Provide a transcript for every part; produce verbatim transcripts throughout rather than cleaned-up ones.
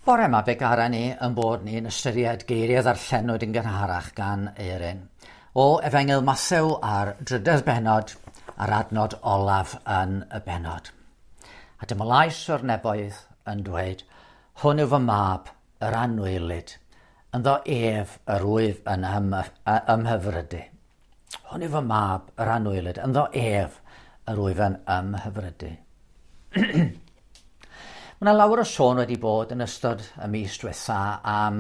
Bore yma fe gara ni yn bod ni'n ystyried geiriau ddarllenwyd yn gynharach gan Eirin o Efengyl Mathew a'r drydedd bennod a'r adnod olaf yn y bennod. A dyma lais o'r neboedd yn dweud, hwn yw fy mab, yr anwylyd, ynddo ef yr wyf yn ym, ymhyfrydu. Hwn yw fy mab, yr anwylyd, ynddo ef yr wyf yn ymhyfrydu. Mae yna lawer o sôn wedi bod yn ystod y mis diwetha am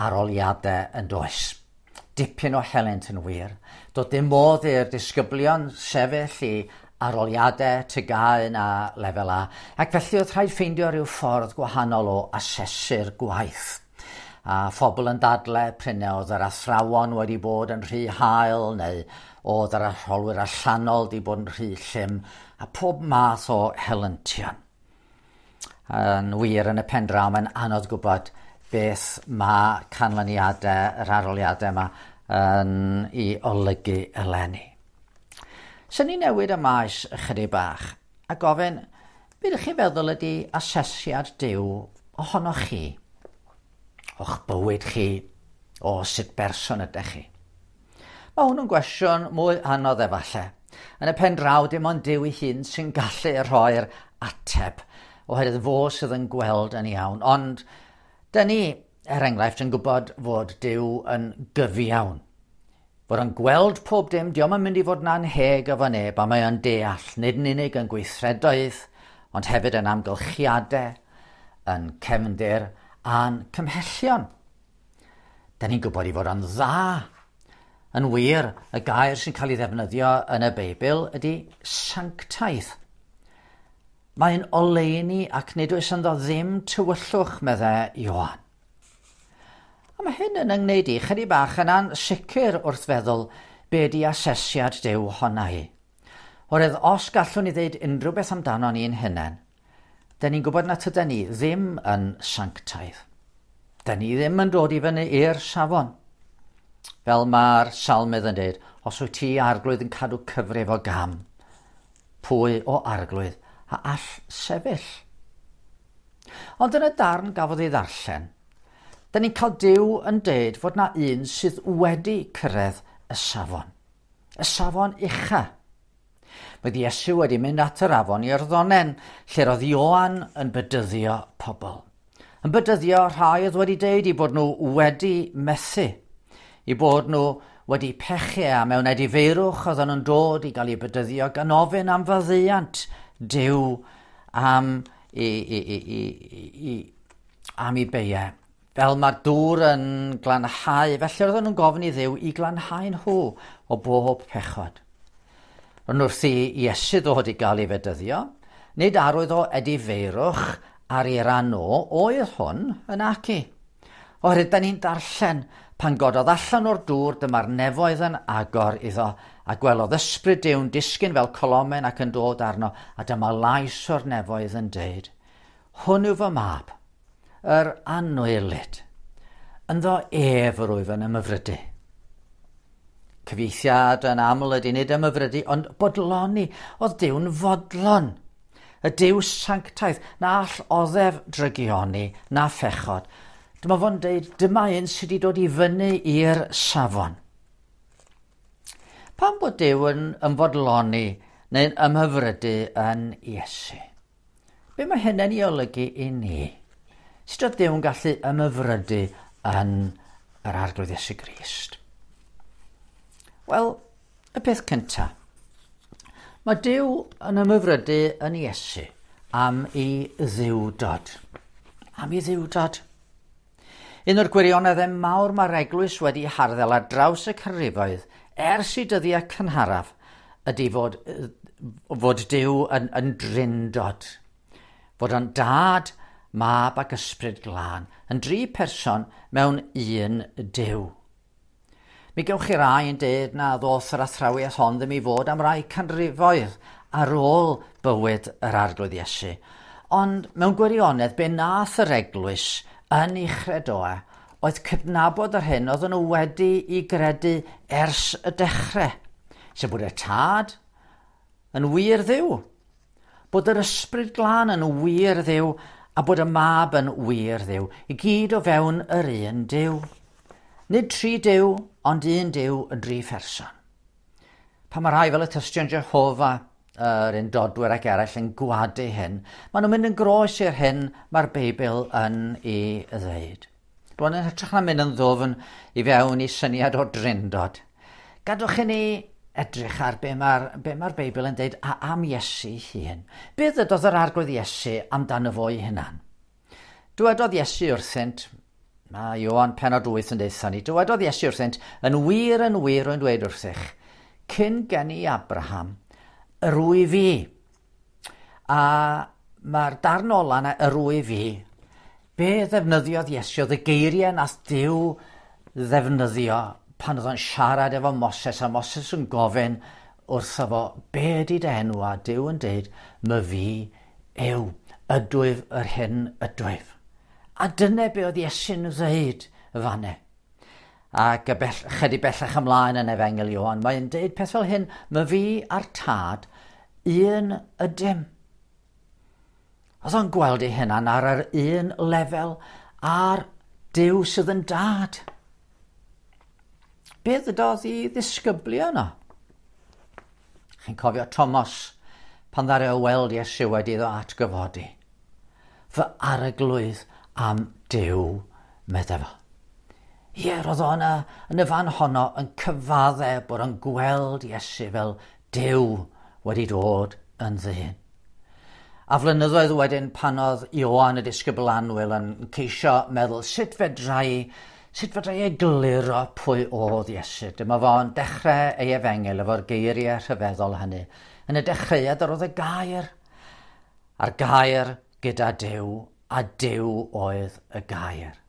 aroliadau yn does. Dipyn o helynt yn wir. Doedd dim modd i'r disgyblion sefyll i aroliadau T G A na lefel A, ac felly oedd rhaid ffeindio rhyw ffordd gwahanol o asesu'r gwaith. A phobl yn dadle prin oedd yr athrawon wedi bod yn rhy hael neu oedd yr arholwyr allanol wedi bod yn rhy llym, a pob math o helyntion. Yn wir, yn y pen draw, mae'n anodd gwybod beth mae canlyniadau yr aroliadau yma yn ei olygu eleni. Swn i'n newid y maes ychydig bach a gofyn, be ydych chi'n feddwl ydy asesiad Duw ohonoch chi? O'ch bywyd chi, o sut berson ydych chi? Mae hwn yn gwestiwn mwy anodd efallai. Yn y pen draw, dim ond Duw ei hun sy'n gallu rhoi'r ateb, oherwydd fo sydd yn gweld yn iawn. Ond dyn ni, er enghraifft, yn gwybod fod Duw yn gyfiawn. Fod yn gweld pob dim, dio'm yn mynd i fod yn anheg efo neb, a mae o'n deall, nid yn unig yn gweithredoedd, ond hefyd yn amgylchiadau, yn cefndir a'n cymhellion. Dyn ni'n gwybod i fod yn dda. Yn wir, y gair sy'n cael ei ddefnyddio yn y Beibl ydy sanctaidd. Mae'n oleuni ac nid oes ynddo ddim tywyllwch, meddai Ioan. A mae hyn yn yngwneud i chydig bach yn ansicr wrth feddwl be di asesiad Duw honna hi. Oherwydd os gallwn ni ddeud unrhyw beth amdano ni'n hunain, dyn ni'n gwybod na tydan ni ddim yn sanctaidd. Dyn ni ddim yn dod i fyny i'r safon. Fel mae'r salmydd yn dweud, os wyt ti arglwydd yn cadw cyfrif o gam, pwy o arglwydd a all sefyll? Ond yn y darn gafodd ei ddarllen, dyn ni'n cael Duw yn deud fod na un sydd wedi cyrraedd y safon. Y safon ucha. Mae Iesu wedi mynd at yr afon Iorddonen, lle roedd Ioan yn bedyddio pobl. Yn bedyddio rhai oedd wedi deud i bod nhw wedi methu, i bod nhw wedi pechu a mewn edifeirwch oedden nhw'n dod i gael eu bedyddio gan ofyn am faddeuant Duw am i, i, i, i, i, am i beiau. Fel mae'r dŵr yn glanhau, felly oedden nhw'n gofyn i Dduw i glanhau nhw o bob pechod. Ond wrth i Iesu ddod i gael ei fedyddio, nid arwydd o edifeirwch ar ei ran o oedd hwn yn aci. Oherwydd da ni'n darllen, pan gododd allan o'r dŵr, dyma'r nefoedd yn agor iddo, a gwelodd ysbryd Duw'n disgyn fel colomen ac yn dod arno, a dyma lais o'r nefoedd yn deud, hwn yw fy mab, yr anwylyd, ynddo ef yr wyf yn ymhyfrydu. Cyfieithiad yn aml ydy nid ymhyfrydu, ond bodloni. Oedd Duw'n fodlon. Y Duw sanctaidd, na all oddef drygioni, na phechod. Dyma fo'n deud, dyma un sydd wedi dod i fyny i'r safon. Pam bod Duw yn ymfodloni neu'n ymhyfrydu yn Iesu? Be mae hynny'n ei olygu i ni? Sut oedd Duw yn gallu ymhyfrydu yn yr Arglwydd Iesu Grist? Wel, y peth cyntaf. Mae Duw yn ymhyfrydu yn Iesu am ei ddiwdod. Am ei ddiwdod. Un o'r gwirioneddau mawr mae'r eglwys wedi harddel ar draws y canrifoedd ers i dyddiau cynharaf ydy fod, fod Duw yn, yn drindod. Fod o'n dad, mab ac ysbryd glân yn dri person mewn un Duw. Mi gewch chi rai yn deud na ddoth yr athrawiaeth hon ddim i fod am rai canrifoedd ar ôl bywyd yr Arglwydd Iesu. Ond mewn gwirionedd, be nath yr eglwys yn ei chredoau oedd cydnabod yr hyn oedden nhw wedi i gredu ers y dechrau. Sef bod y Tad yn wir Dduw, bod yr Ysbryd Glân yn wir Dduw a bod y mab yn wir Dduw, i gyd o fewn yr un Duw. Nid tri Duw, ond un Duw yn dri pherson. Pan mae rhai fel y Tystion Jehofa, yr undodwyr ac eraill yn gwadu hyn, maen nhw'n mynd yn groes i'r hyn mae'r Beibl yn ei ddweud. Rwan yn hytrach na mynd yn ddwfn i fewn i syniad o drindod. Gadwch i ni edrych ar be mae'r be mae'r Beibl yn dweud a am Iesu hun. Be ddydodd yr Arglwydd Iesu amdano fo ei hunan? Dywedodd Iesu wrthynt, mae Ioan pennod wyth yn deutha ni, dywedodd Iesu wrthynt, yn wir yn wir rwy'n dweud wrthych, cyn geni Abraham, yr wyf fi. A mae'r darn ola yna, yr wyf fi, be ddefnyddiodd Iesu oedd y geiriau nath Duw ddefnyddio pan oedd o'n siarad efo Moses, a Moses yn gofyn wrtho fo, be ydy dy enw? A Duw yn deud, my fi yw, ydwyf yr hyn ydwyf. A dyna be oedd Iesu'n ddeud fanne. Ac y bell, chydig bellach ymlaen yn Efengyl Ioan, mae'n deud peth fel hyn, my fi a'r tad, un ydym. Oedd o'n gweld ei hunan ar yr un lefel a'r Duw sydd yn dad. Be ddydodd i ddisgyblion yno? Chi'n cofio Thomas pan ddaru o weld Iesu wedi iddo atgyfodi. Fy arglwydd am Duw, medde fo. Ie, roedd o yna yn y fan honno yn cyfadde bod o'n gweld Iesu fel Duw wedi dod yn ddyn. A flynyddoedd wedyn pan oedd Ioan y disgybl annwyl yn ceisio meddwl sut fedrai, sut fedrai egluro pwy oedd Iesu. Dyma fo'n dechrau ei efengyl efo'r geiriau rhyfeddol hynny. Yn y dechreuad yr oedd y gair, a'r gair gyda Duw, a Duw oedd y gair.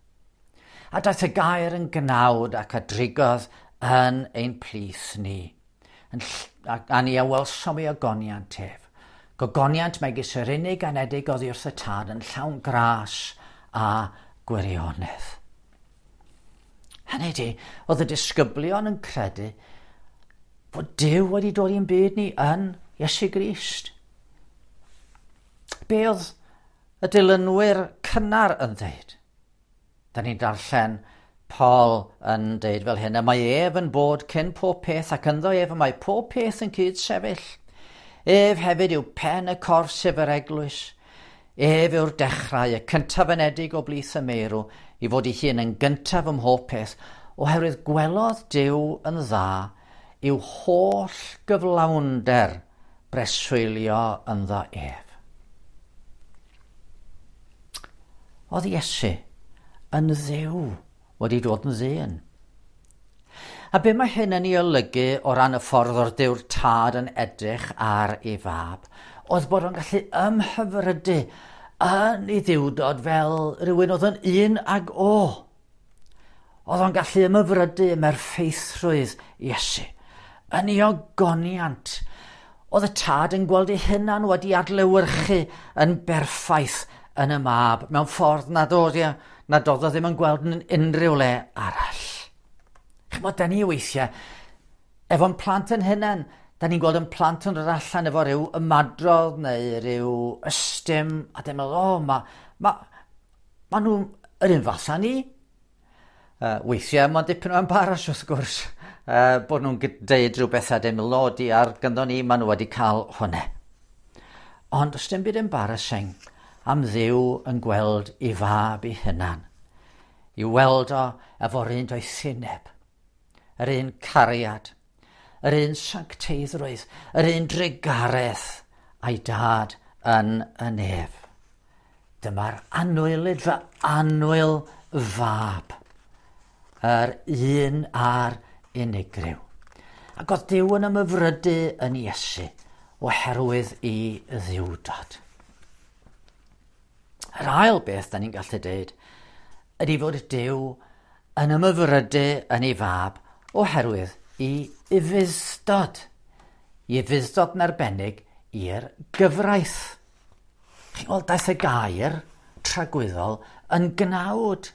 A daeth y gair yn gnawd ac a drigodd yn ein plith ni. Yn, a, a ni a welsom ei ogoniant ef. Gogoniant megis yr unig anedig oddi wrth y tad yn llawn gras a gwirionedd. Hynny ydi, oedd y disgyblion yn credu fod Duw wedi dod i'n byd ni yn Iesu Grist. Be oedd y dilynwyr cynnar yn dweud? Da ni'n darllen Paul yn deud fel hyn, y mae ef yn bod cyn pob peth ac ynddo ef y mae pob peth yn cyd sefyll. Ef hefyd yw pen y corff sef yr eglwys. Ef yw'r dechrau, y cyntaf anedig o blith y meirw, i fod ei hun yn gyntaf ym mhob peth, oherwydd gwelodd Duw yn dda i'w holl gyflawnder breswylio ynddo ef. Oedd Iesu yn Dduw wedi dod yn ddyn. A be mae hyn yn ei olygu o ran y ffordd o'r Duw'r Tad yn edrych ar ei fab, oedd bod o'n gallu ymhyfrydu yn ei ddiwdod fel rhywun oedd yn un ag o. Oedd o'n gallu ymhyfrydu ym merffeithrwydd Iesu, yn ei ogoniant. Oedd y Tad yn gweld ei hunan wedi adlewyrchu yn berffaith yn y mab, mewn ffordd nad oedd, nad oedd o ddim yn gweld yn unrhyw le arall. Chymod, da ni weithiau, efo'n plant yn hunan, da ni'n gweld yn plant yn dod allan efo rhyw ymadrodd neu rhyw ystym, a dyn meddwl, o, ma, ma, ma nhw'n yr un fath â ni. Uh, weithiau, mae'n dipyn o embaras wrth gwrs, uh, bod nhw'n deud rhyw bethau, dyn meddwl, o, di ar gynddo ni, ma nhw wedi cael hwnna. Ond os dim byd embarrassing am Dduw yn gweld ei fab ei hunan, i weld o efo'r un doethineb, yr un cariad, yr un sancteiddrwydd, yr un drugaredd a'i dad yn y nef. Dyma'r annwylyd fy annwyl fab, yr un a'r unigryw. Ac oedd Duw yn ymhyfrydu yn Iesu oherwydd ei ddiwdod. Yr ail beth da ni'n gallu deud ydy fod Duw yn ymhyfrydu yn ei fab oherwydd ei ufudd-dod. Ei ufudd-dod yn arbennig i'r gyfraith. Chi'n gweld, daeth y gair tragwyddol yn gnawd.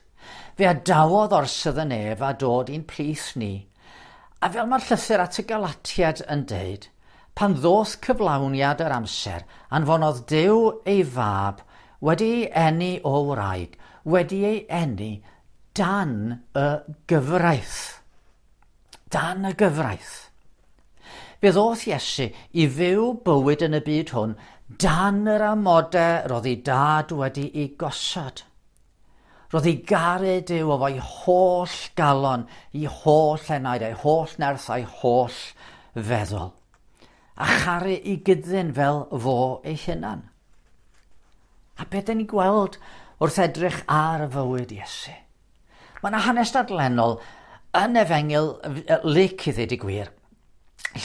Fe adawodd orsydd y nef a dod i'n plith ni. A fel mae'r llythyr at y Galatiad yn deud, pan ddoth cyflawniad yr amser, anfonodd Duw ei fab wedi ei eni o wraig, wedi ei eni dan y gyfraith. Dan y gyfraith. Fe ddoth Iesu i fyw bywyd yn y byd hwn dan yr amodau roedd ei dad wedi ei gosod. Roedd ei garu Duw efo'i holl galon, ei holl enaid, ei holl nerth a'i holl feddwl. A charu ei gyddyn fel fo ei hunan. A beth dyn ni'n gweld wrth edrych ar fywyd Iesu? Mae yna hanes dadlennol yn Efengyl Luc i ddweud y gwir,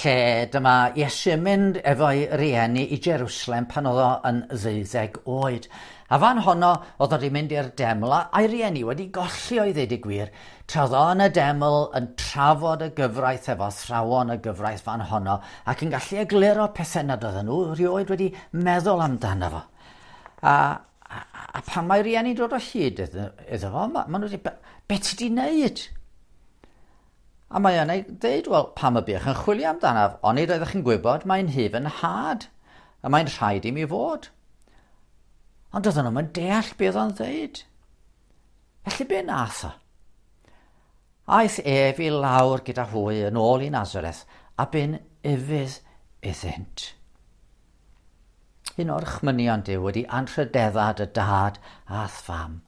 lle dyma Iesu yn mynd efo'i rieni i Jerusalem pan oedd o yn ddeuddeg oed. A fan honno oedd o wedi mynd i'r deml a'i rieni wedi golli o'i ddweud y gwir, tra oedd o yn y deml yn trafod y gyfraith efo athrawon y gyfraith fan honno ac yn gallu egluro pethau nad oedden nhw rioed wedi meddwl amdano fo. A, a, a pan mae rieni dod o hyd iddo, iddo fo, ma, ma nhw wedi, be ti di wneud? A mae yna dweud, wel, pam y buoch yn chwilio amdanaf, onid oeddech chi'n gwybod mae'n nhŷ fy nhad, a mae'n rhaid i mi fod. Ond oedden nhw'n deall beth oedd o'n dweud. Felly be nath o? Aeth ef i lawr gyda hwy yn ôl i Nazareth, a bu'n ufudd iddynt. Un o'r orchmynion Duw wedi anrhydedda dy dad a'th fam.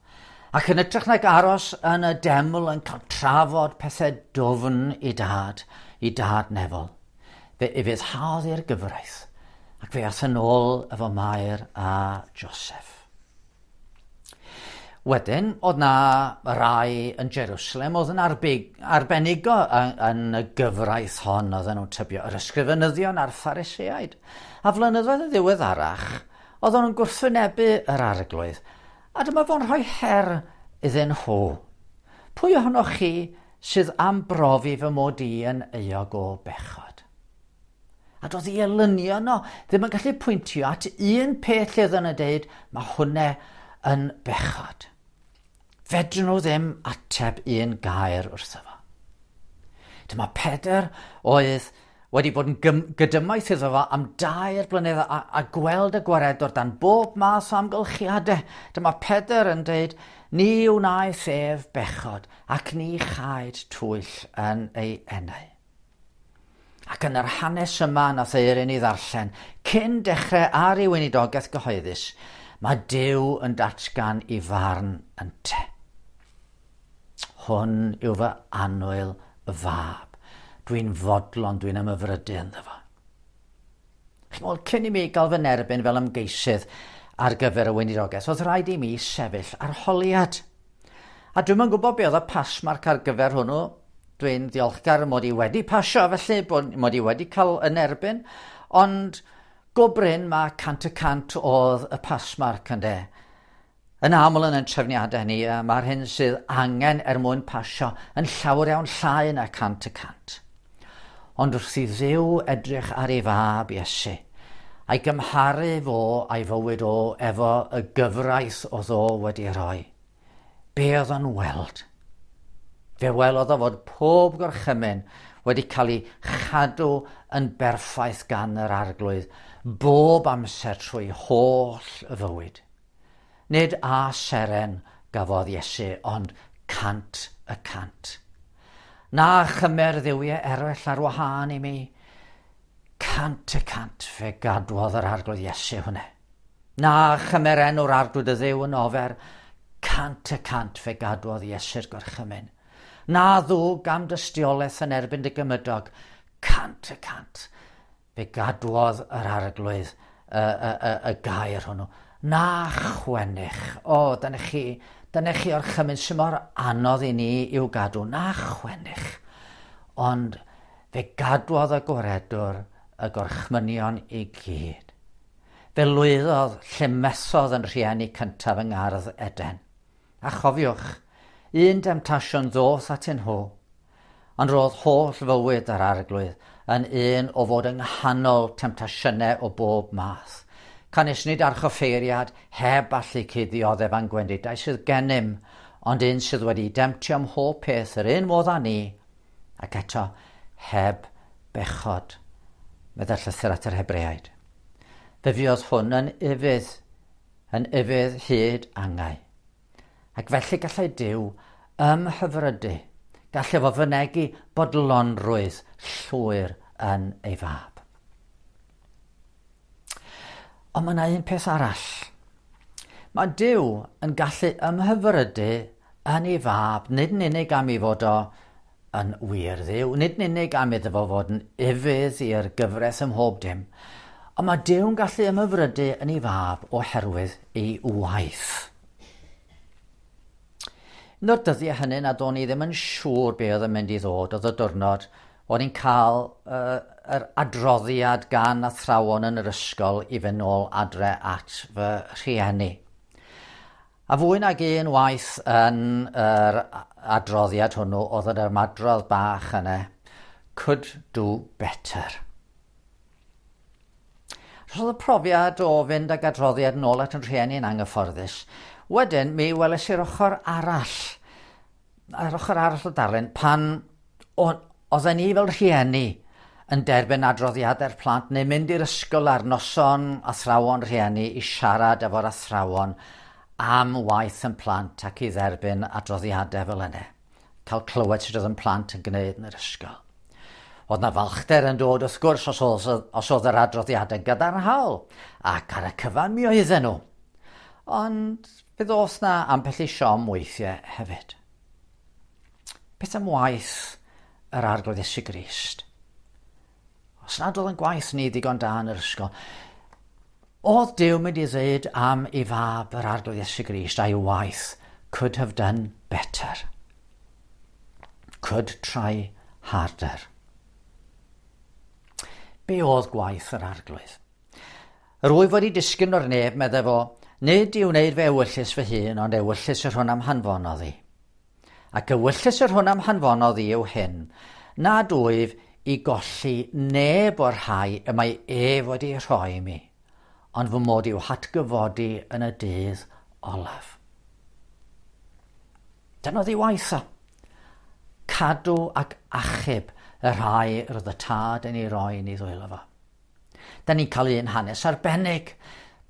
Ac yn hytrach nag aros yn y deml yn cael trafod pethau dwfn i dad, i dad nefol, fe ufuddhaodd i'r gyfraith, ac fe ath yn ôl efo Mair a Joseph. Wedyn, oedd na rai yn Jerusalem oedd yn arbig, arbenigo yn, yn y gyfraith hon, oedden nhw'n tybio, yr ysgrifenyddion a'r Phariseaid. A flynyddoedd yn ddiweddarach, oedden nhw'n gwrthwynebu yr arglwydd. A dyma fo'n rhoi her iddyn nhw. Pwy ohonoch chi sydd am brofi fy mod i yn euog o bechod? A doedd ei elynion nhw ddim yn gallu pwyntio at un peth lle oedden nhw'n dweud, mae hwnna yn bechod. Fedrwn nhw ddim ateb un gair wrtho fo. Dyma Pedr oedd wedi bod yn gydymaith iddo fo am dair blynedd a, a gweld y gwaredwr dan bob math o amgylchiadau. Dyma Pedr yn dweud, ni wnaeth ef bechod ac ni chaed twyll yn ei enau. Ac yn yr hanes yma nath Eirin i ddarllen, cyn dechrau ar ei weinidogaeth gyhoeddus, mae Duw yn datgan i farn ynte. Hwn yw fy annwyl fab. Dwi'n fodlon, dwi'n ymhyfrydu ynddo fo. Chi'n meddwl, cyn i mi gael fy nerbyn fel ymgeisydd ar gyfer y weinidogaeth, oedd rhaid i mi sefyll arholiad. A dwi'm yn gwybod be oedd y passmark ar gyfer hwnnw. Dwi'n ddiolchgar mod i wedi pasio, felly, bod mod i wedi cael yn erbyn, ond go brin mae cant y cant oedd y passmark ynde. Yn aml yn ein trefniadau ni, mae'r hyn sydd angen er mwyn pasio yn llawer iawn llai na cant y cant. Ond wrth i Dduw edrych ar ei fab Iesu, a'i gymharu fo a'i fywyd o efo y gyfraith oedd o wedi rhoi, be oedd o'n weld? Fe welodd o fod pob gorchymyn wedi cael ei chadw yn berffaith gan yr arglwydd, bob amser trwy holl y fywyd. Nid a seren gafodd Iesu, ond cant y cant. Na chymer dduwiau eraill ar wahân i mi. Cant y cant fe gadwodd yr arglwydd Iesu hwnna. Na chymer enw'r arglwydd y Dduw yn ofer. Cant y cant fe gadwodd Iesu'r gorchymyn. Na ddwg am dystiolaeth yn erbyn dy gymydog. Cant y cant fe gadwodd yr arglwydd y, y, y, y gair hwnnw. Na chwennych. O, dyna chi, dyna chi orchymyn sy'n mor anodd i ni i'w gadw. Na chwennych. Ond fe gadwodd y gwaredwr y gorchmynion i gyd. Fe lwyddodd lle methodd yn rhieni cyntaf yng Ngardd Eden. A chofiwch, un demtasiwn ddoth atyn nhw, ond roedd holl fywyd yr arglwydd yn un o fod yng nghanol temtasiynau o bob math. Canys nid archoffeiriad heb allu cuddioddef a'n gwendidau sydd gennym, ond un sydd wedi demtio ym mhob peth yr un modd â ni, ac eto heb bechod, meddai llythyr at yr Hebreaid. Fe fuodd hwn yn ufudd yn ufudd hyd angau. Ac felly gallai Duw ymhyfrydu, gallai fo fynegi bodlonrwydd llwyr yn ei fab. Ond mae yna un peth arall. Mae Duw yn gallu ymhyfrydu yn ei fab, nid yn unig am ei fod o yn wir Dduw, nid yn unig am iddo fo fod yn ufudd i'r gyfraith ym mhob dim, ond mae Duw'n gallu ymhyfrydu yn ei fab oherwydd ei waith. Un o'r dyddiau hynny nad o'n i ddim yn siŵr be oedd yn mynd i ddod, oedd y diwrnod o'n i'n cael uh, yr adroddiad gan athrawon yn yr ysgol i fynd nôl adre at fy rhieni. A fwy nag un waith yn yr adroddiad hwnnw oedd yr ymadrodd bach yna, "Could do better." Roedd y profiad o fynd ag adroddiad nôl at yn rhieni yn anghyfforddus. Wedyn, mi weles i'r ochr arall, yr ochr arall o darlun, pan oedden ni fel rhieni yn derbyn adroddiadau'r plant neu mynd i'r ysgol ar noson athrawon rhieni i siarad efo'r athrawon am waith yn plant ac i dderbyn adroddiadau fel yna. Cael clywed sut oedd yn plant yn gwneud yn yr ysgol. Oedd na falchder yn dod wrth gwrs os oedd, os oedd yr adroddiadau gadarnhaol, ac ar y cyfan mi oedden nhw. Ond fe ddoth na ambell i siom weithiau hefyd. Beth am waith yr Arglwydd Iesu Grist? Os nad oedd yn gwaith ni ddigon da yn yr ysgol, oedd Duw mynd i ddweud am ei fab yr Arglwydd Iesu Grist a'i waith, "Could have done better. Could try harder"? Be oedd gwaith yr Arglwydd? "Yr wyf wedi disgyn o'r nef," meddai fo, "nid i wneud fy ewyllys fy hun, ond ewyllys yr hwn am hanfonodd i. Ac ewyllys yr hwn am hanfonodd i yw hyn, nad wyf i golli neb o'r rhai y mae ef wedi rhoi i mi, ond fy mod i'w hatgyfodi yn y dydd olaf." Dyna oedd ei waith o. Cadw ac achub y rhai roedd y Tad yn ei roi yn ei ddwylo fo. Da ni'n cael un hanes arbennig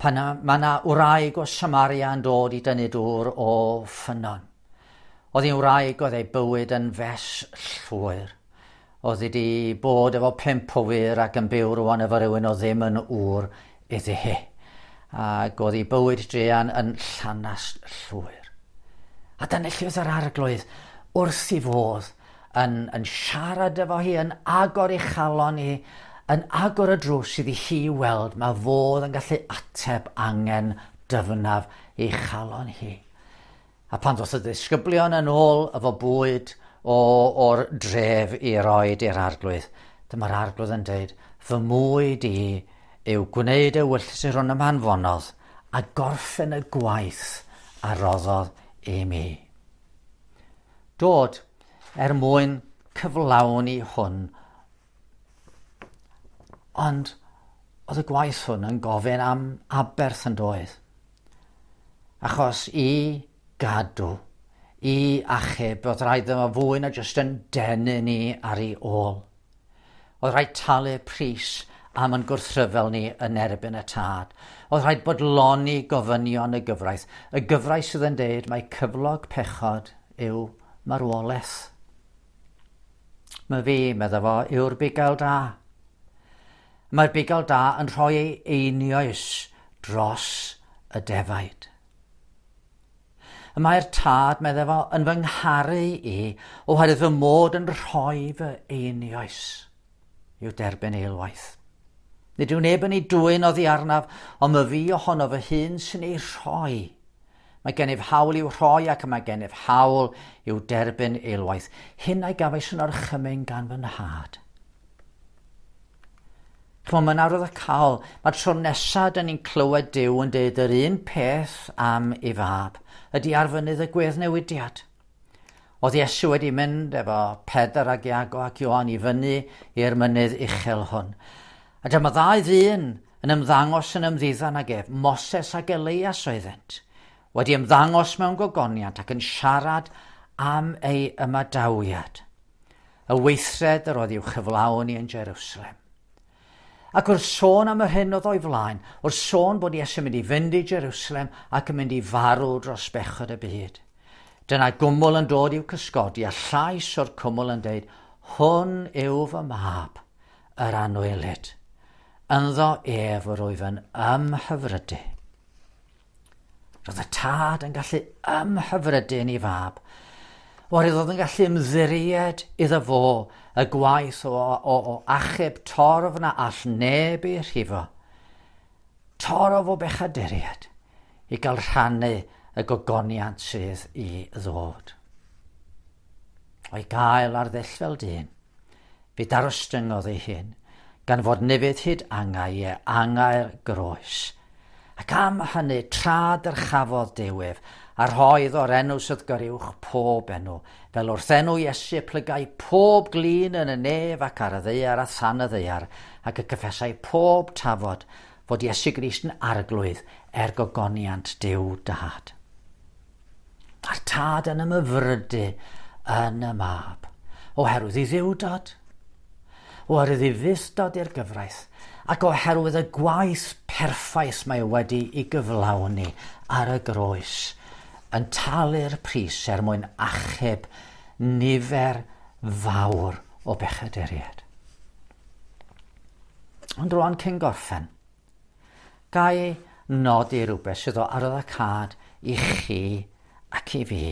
pan mae yna wraig o Samaria yn dod i dynnu dŵr o ffynnon. Oedd hi'n wraig oedd ei bywyd yn fes llwyr. Oedd hi wedi bod efo pump o wŷr ac yn byw rwan efo rhywun o ddim yn ŵr iddi hi. Ac oedd ei bywyd druan yn llanast llwyr. A dyna lle oedd yr Arglwydd wrth ei fodd yn, yn siarad efo hi, yn agor ei chalon hi, yn agor y drws iddi hi weld mae fodd yn gallu ateb angen dyfnaf ei chalon hi. A pan ddoth y disgyblion yn ôl efo bwyd o, o'r dref i roed i'r Arglwydd, dyma'r Arglwydd yn dweud, "Fy mwyd i yw gwneud ewyllys yr hwn am hanfonodd a gorffen y gwaith a roddodd i mi." Dod er mwyn cyflawni hwn. Ond oedd y gwaith hwn yn gofyn am aberth yn doedd? Achos i gadw, i achub, oedd rhaid iddo fwy na jyst yn denu ni ar ei ôl. Oedd rhaid talu pris am yn gwrthryfel ni yn erbyn y Tad. Oedd rhaid bodloni gofynion y gyfraith. Y gyfraith sydd yn deud mae cyflog pechod yw marwolaeth. "Mae fi," medda fo, "yw'r bugail da. Mae'r bugail da yn rhoi ei einioes dros y defaid. Y mae'r Tad," medda fo, "yn fy ngharu i oherwydd fy mod yn rhoi fy einioes i'w derbyn eilwaith. Nid yw neb yn ei dwyn oddi arnaf, ond mae fi ohono fy hun sy'n ei rhoi. Mae gennyf hawl i'w rhoi ac mae gennyf hawl i'w derbyn eilwaith. Hyn a'i gafais yn orchymyn gan fy Nhad." Chymod, mae'n arwyddocaol. Mae'r tro nesaf dyn ni'n clywed Duw yn deud yr un peth am ei fab ydy ar fynydd y gweddnewidiad. Oedd Iesu wedi mynd efo Pedr ac Iago ac Ioan i fyny i'r mynydd uchel hwn. A dyma ddau ddyn yn ymddangos yn ymddiddan ag ef, Moses ac Elias oeddent, wedi ymddangos mewn gogoniant ac yn siarad am ei ymadawiad, y weithred yr oedd i'w chyflawni yn Jerusalem. Ac wrth sôn am yr hyn oedd o'i flaen, wrth sôn bod Iesu'n mynd i fynd i Jerusalem ac yn mynd i farw dros bechod y byd. Dyna gwmwl yn dod i'w cysgodi a llais o'r cwmwl yn deud, "Hwn yw fy mab, yr anwylyd. Ynddo ef yr wyf yn ymhyfrydu." Roedd y tad yn gallu ymhyfrydu yn ei fab, oherwydd oedd yn gallu ymddiried iddo fo y gwaith o, o, o achub torf na all neb ei rhifo. Torf o bechaduriaid i gael rhannu y gogoniant sydd i ddod. O'i gael ar ddull fel dyn, fe darostyngodd ei hun, gan fod ufudd hyd angau, ie, angau'r groes. Ac am hynny, tra dyrchafodd Duw ef, a rhoi iddo'r enw sydd goruwch pob enw, fel wrth enw Iesu plygai pob glin yn y nef ac ar y ddaear a than y ddaear, ac y cyffesai pob tafod fod Iesu Grist yn arglwydd er gogoniant Duw Dad. A'r tad yn ymhyfrydu yn y mab, oherwydd ei dduwdod, oherwydd ei ufudd-dod i'r gyfraith, ac oherwydd y gwaith perffaith mae wedi ei gyflawni ar y groes, yn talu'r pris er mwyn achub nifer fawr o bechaduriaid. Ond rwan cyn gorffen, ga i nodi rhywbeth sydd o arwyddocâd i chi ac i fi.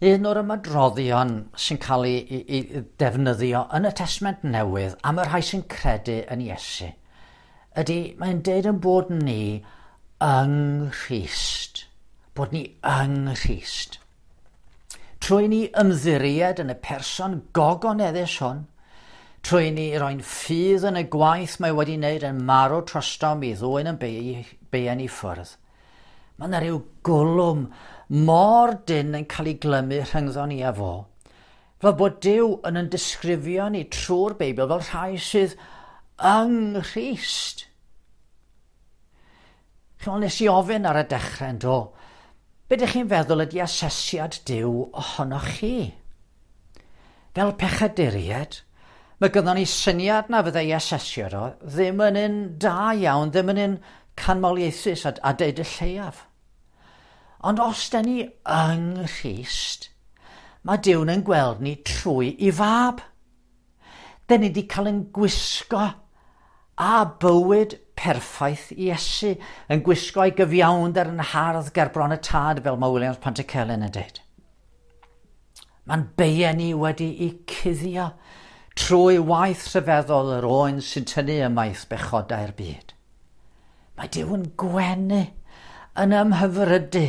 Un o'r ymadroddion sy'n cael ei, ei, ei defnyddio yn y Testament Newydd am y rhai sy'n credu yn Iesu ydy mae'n deud yn bod ni yng Nghrist. Bod ni yng Nghrist. Trwy ni ymddiried yn y person gogoneddus hwn, trwy ni roi'n ffydd yn y gwaith mae wedi wneud yn marw trostom i ddwyn yn beiau ni ffwrdd. Mae yna rhyw gwlwm mor dynn yn cael ei glymu rhyngddo ni a fo. Fel bod Duw yn yn disgrifio ni trwy'r Beibl fel rhai sydd yng Nghrist. Chymod, nes i ofyn ar y dechrau yn do, be ydych chi'n feddwl ydy asesiad Duw ohonoch chi? Fel pechaduriaid, mae gynnon ni syniad na fyddai asesiad o ddim yn un da iawn, ddim yn un canmoliaethus a, a deud y lleiaf. Ond os da ni yng Nghrist, mae Duw yn gweld ni trwy ei fab. Da ni wedi cael yn gwisgo a bywyd perffaith Iesu, yn gwisgo ei gyfiawnder yn hardd ger bron y tad, fel mae Williams Pantycelyn yn dweud. Mae'n beiau ni wedi ei cuddio trwy waith rhyfeddol yr oen sy'n tynnu ymaith bechodau'r byd. Mae Duw yn gwenu, yn ymhyfrydu,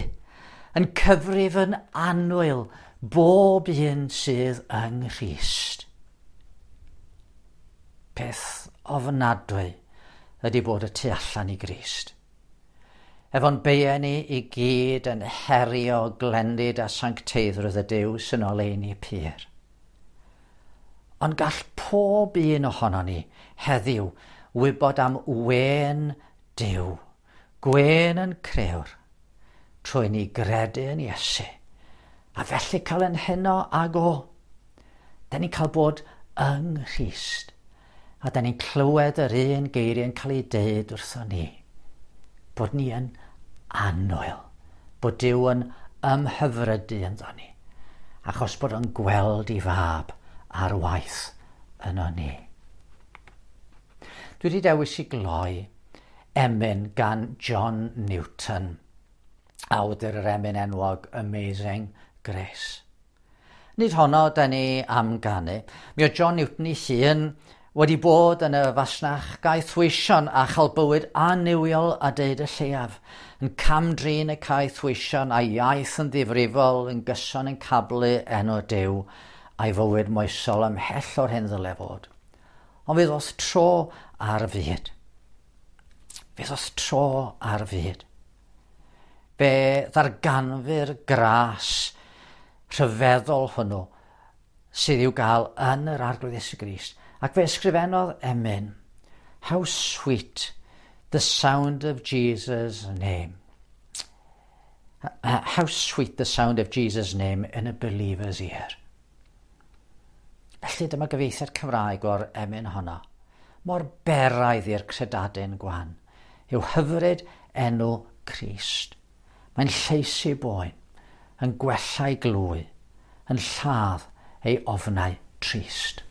yn cyfrif yn annwyl bob un sydd yng Nghrist. Peth ofnadwy ydy bod y tu allan i Grist. Efo'n beiau ni i gyd yn herio glendid a sancteiddrwydd y Duw sy'n oleuni pur. Ond gall pob un ohono ni heddiw wybod am wên Duw, gwên yn crëwr, trwy ni gredu yn Iesu, a felly cael yn heno ag o. Da ni'n cael bod yng Nghrist, a da ni'n clywed yr un geiriau yn cael ei deud wrthon ni, bod ni yn annwyl, bod Duw yn ymhyfrydu ynddo ni, achos bod o'n gweld ei fab ar waith yno ni. Dwi wedi dewis i gloi emyn gan John Newton, awdur yr emyn enwog Amazing Grace. Nid honno da ni am ganu. Mi oedd John Newton ei hun wedi bod yn y fasnach gaethweision a chael bywyd annuwiol a deud y lleiaf, yn cam-drin y caethweision a'i iaith yn ddifrifol yn gyson yn cablu enw Duw a'i fywyd moesol ymhell o'r hyn ddyle fod. Ond fe ddoth tro ar fyd. Fe ddoth tro ar fyd. Fe ddarganfu'r gras rhyfeddol hwnnw sydd i'w gael yn yr Arglwydd Iesu Grist. Ac fe ysgrifennodd emyn, "How sweet the sound of Jesus' name. How sweet the sound of Jesus' name in a believer's ear." Felly dyma gyfieithiad Cymraeg o'r emyn honno. mor beraidd i'r credadun gwan, yw hyfryd enw Crist. Mae'n lleisi boen, yn gwella'i glwy, yn lladd ei ofnau trist.